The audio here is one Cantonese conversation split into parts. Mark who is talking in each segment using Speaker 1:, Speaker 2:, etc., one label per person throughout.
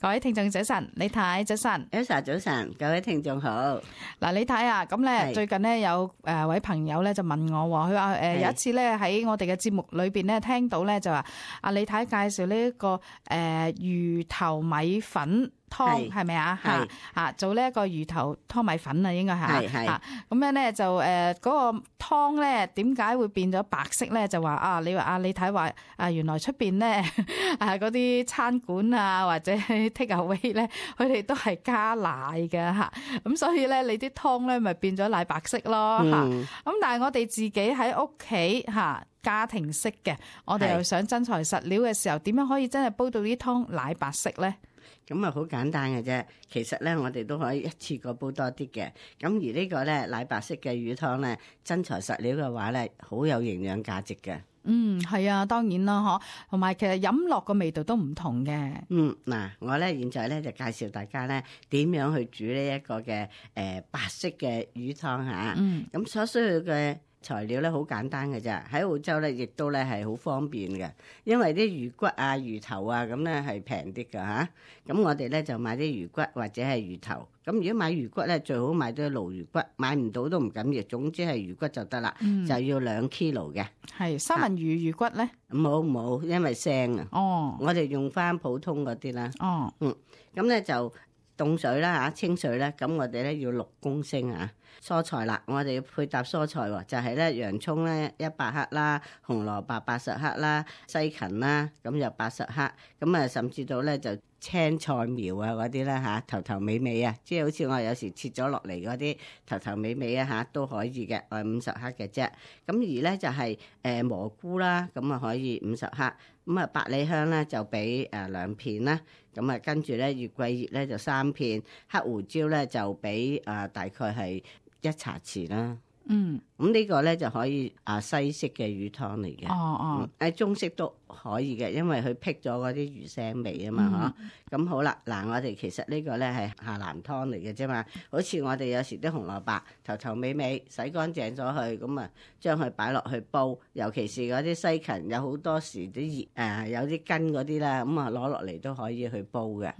Speaker 1: 各位聽眾早晨，李太早晨。
Speaker 2: Elsa 早晨，各位聽眾好。
Speaker 1: 嗱，李太啊，咁咧
Speaker 2: 係
Speaker 1: 最近咧有位朋友咧就問我喎，佢話
Speaker 2: 係
Speaker 1: 有一次咧喺我哋嘅節目裏邊咧聽到咧就話阿李太介紹呢一個魚頭米粉湯係咪啊？
Speaker 2: 係
Speaker 1: 嚇做呢一個魚頭湯米粉啊，應該係
Speaker 2: 係
Speaker 1: 嚇咁樣咧就嗰個湯咧點解會變咗白色咧？就話啊，你話阿李太話啊，原來出邊咧嗰啲餐館啊或者 take away 咧，佢哋都係加奶嘅嚇，咁所以咧你啲湯咧咪變咗奶白色咯嚇。咁但係我哋自己喺屋企嚇家庭式嘅，我哋又想真材實料嘅時候，點樣可以真係煲到啲湯奶白色咧？
Speaker 2: 咁啊，好簡單嘅啫。其實咧，我哋都可以一次過煲多啲嘅。咁而呢個咧奶白色嘅魚湯咧，真材實料嘅話咧，好有營養價值嘅。
Speaker 1: 係啊，當然啦，嗬。同埋其實飲落個味道都唔同嘅。
Speaker 2: 嗱，我咧現在咧就介紹大家咧點樣去煮呢一個嘅白色嘅魚湯嚇。咁所需要嘅材料咧好簡單嘅啫，喺澳洲咧亦都咧係好方便嘅，因為啲魚骨啊、魚頭啊咁咧係平啲㗎嚇。咁我哋咧就買啲魚骨或者係魚頭。咁如果買魚骨咧，最好買啲鱸魚骨，買唔到都唔緊要，總之係魚骨就得啦。就要2 kilo 嘅。
Speaker 1: 係三文魚魚骨咧？
Speaker 2: 冇，因為腥啊。我哋用翻普通嗰啲啦。咁咧就凍水啦嚇，清水咧，咁我哋咧要6公升啊。蔬菜啦，我哋要配搭蔬菜喎，就係咧洋葱咧100克啦，紅蘿蔔80克啦，西芹啦，咁又80克，咁啊甚至到咧就青菜苗啊嗰啲啦嚇，頭頭尾尾啊，即係好似我有時切咗落嚟嗰啲頭頭尾尾啊嚇都可以嘅，我係50克嘅啫。咁而咧就係蘑菇啦，咁啊可以50克，咁啊百里香咧就俾2片啦，咁啊跟住咧月桂葉咧就3片，黑胡椒咧就俾大概係1茶匙啦。咁呢個咧就可以西式嘅魚湯嚟嘅。中式都可以嘅，因為佢辟咗嗰啲魚腥味啊嘛，咁好啦，嗱，我哋其實呢個咧係下南湯嚟嘅啫嘛。好似我哋有時啲紅蘿蔔頭頭尾尾洗乾淨咗去，咁啊將佢擺落去煲，尤其是嗰啲西芹，有好多時啲有啲根嗰啲啦，咁啊攞落嚟都可以去煲嘅。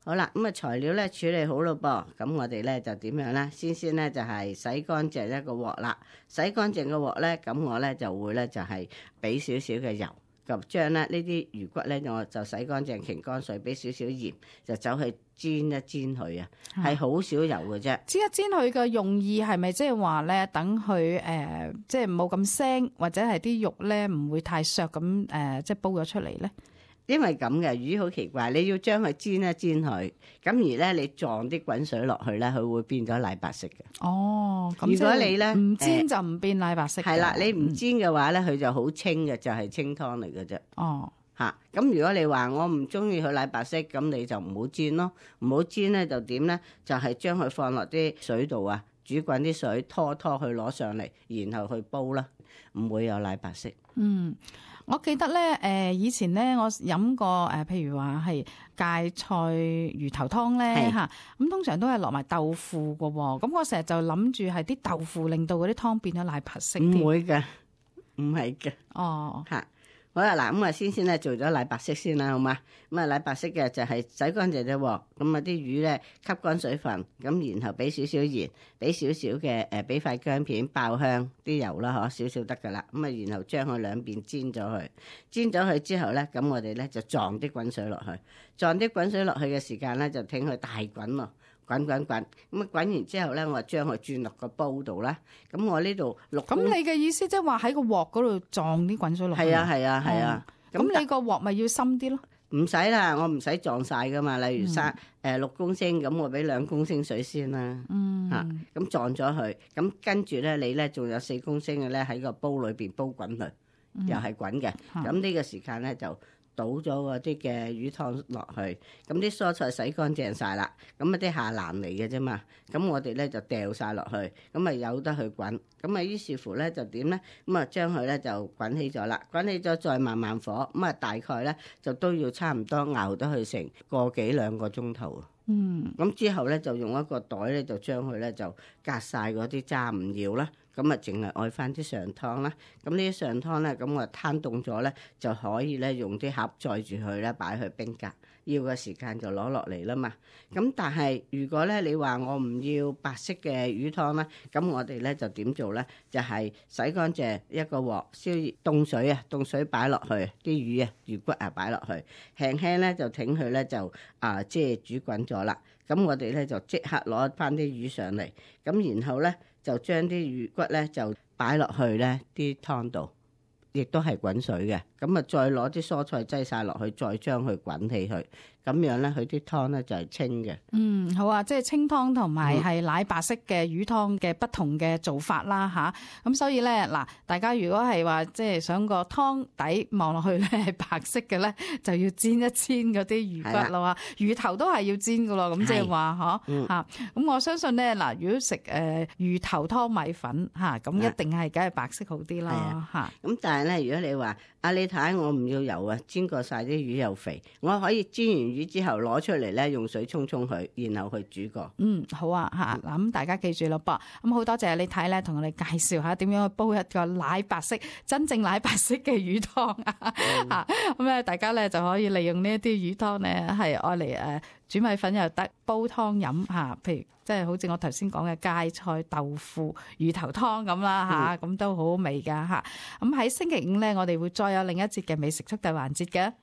Speaker 2: 好啦，咁啊材料咧處理好咯噃，咁我哋咧就點樣咧？先咧就係洗乾淨一個鑊啦，洗乾淨個鑊咧，咁我咧就會咧就係俾少少嘅油，就將咧呢啲魚骨咧我就洗乾淨，擎乾水，俾少少鹽，就走去煎一煎佢啊，係好少油嘅啫。
Speaker 1: 煎一煎佢嘅用意係咪即係話咧，等佢即係冇咁腥，或者係啲肉咧唔會太削咁即係煲咗出嚟咧？
Speaker 2: 因為咁嘅魚好奇怪，你要將佢煎一煎佢，咁而咧你撞啲滾水落去咧，佢會變咗奶白色嘅。
Speaker 1: 咁
Speaker 2: 如果你咧
Speaker 1: 唔煎就唔變奶白色。
Speaker 2: 係啦，你唔煎嘅話咧，佢就好清嘅，就係清湯嚟嘅啫。咁如果你話我唔中意佢奶白色，咁你就唔好煎咯。唔好煎咧就點咧？就係將佢放落啲水度啊，煮滾啲水，拖去攞上嚟，然後去煲啦，唔會有奶白色。
Speaker 1: 我記得咧，以前咧我飲過譬如話係芥菜魚頭湯咧嚇，咁通常都係落埋豆腐㗎喎。咁我成日就諗住係啲豆腐令到嗰啲湯變咗奶白色。
Speaker 2: 唔會嘅，唔係嘅。好啦，嗱，咁啊先咧做咗奶白色先啦，好嘛？咁啊奶白色嘅就係洗乾淨隻鑊，咁啊啲魚咧吸乾水分，咁然後俾少少鹽，俾少少嘅俾塊薑片爆香啲油啦，少少得噶啦。咁啊然後將佢兩邊煎咗佢，煎咗佢之後咧，咁我哋咧就撞啲滾水落去，撞啲滾水落去嘅時間咧就聽佢大滾咯。滾，咁啊滾完之後咧，我將佢轉落個煲度啦。咁我呢度
Speaker 1: 咁你嘅意思即係話喺個鑊嗰度撞啲滾水落去？係
Speaker 2: 啊。
Speaker 1: 咁你個鑊咪要深啲咯？
Speaker 2: 唔使啦，我唔使撞晒噶嘛。例如6公升，咁我俾2公升水先啦。咁撞咗佢，咁跟住咧，你咧仲有4公升嘅咧喺個煲裏邊煲滾佢，又係滾嘅。咁呢個時間咧就倒咗嗰啲嘅魚湯落去，咁啲蔬菜洗乾淨晒啦，咁啊啲下欄嚟嘅啫嘛，咁我哋咧就掉晒落去，咁啊由得佢滾，咁啊於是乎咧就點咧，咁啊將佢咧就滾起咗啦，滾起咗再慢慢火，咁啊大概咧就都要差唔多熬得佢成個幾2個鐘頭。咁之後咧就用一個袋咧就將佢咧就隔晒嗰啲渣唔要啦，咁啊淨係愛翻啲上湯啦。咁呢啲上湯咧，咁我攤凍咗咧就可以咧用啲盒載住佢咧擺去冰格，要嘅時間就攞落嚟啦嘛。咁但係如果咧你話我唔要白色嘅魚湯咧，咁我哋咧就點做咧？就係洗乾淨一個鑊，燒熱凍水啊，凍水擺落去啲魚啊、魚骨啊擺落去，輕輕咧就挺佢咧就即係煮滾咗啦。咁我哋咧就即刻攞翻啲魚上嚟，咁然後咧就將啲魚骨咧就擺落去咧啲湯度，亦都係滾水嘅。咁啊再攞啲蔬菜擠晒落去，再將佢滾起佢，咁樣咧佢啲湯咧就係清嘅。
Speaker 1: 好啊，即係清湯同埋係奶白色嘅魚湯嘅不同嘅做法啦吓。咁所以咧嗱，大家如果係話即係想個湯底望落去咧係白色嘅咧，就要煎一煎嗰啲魚骨咯。魚頭都係要煎噶咯。咁即係話嗬吓。咁我相信咧嗱，如果食魚頭湯米粉吓，咁一定係梗係白色好啲啦吓。
Speaker 2: 咁但係咧，如果你話你睇我唔要油啊，煎過晒啲魚又肥，我可以煎完魚之後攞出嚟咧，用水沖沖佢，然後去煮過。
Speaker 1: 好啊吓，嗱咁大家記住咯噃。咁好多謝你睇咧，同我哋介紹下點樣去煲一個奶白色、真正奶白色嘅魚湯啊。咁咧，大家咧就可以利用呢一啲魚湯咧，係愛嚟煮米粉又得，煲湯飲吓。譬如即係好似我頭先講嘅芥菜豆腐魚頭湯咁啦吓，咁都好好味噶吓。咁喺星期五咧，我哋會再有另一節嘅美食速遞環節嘅。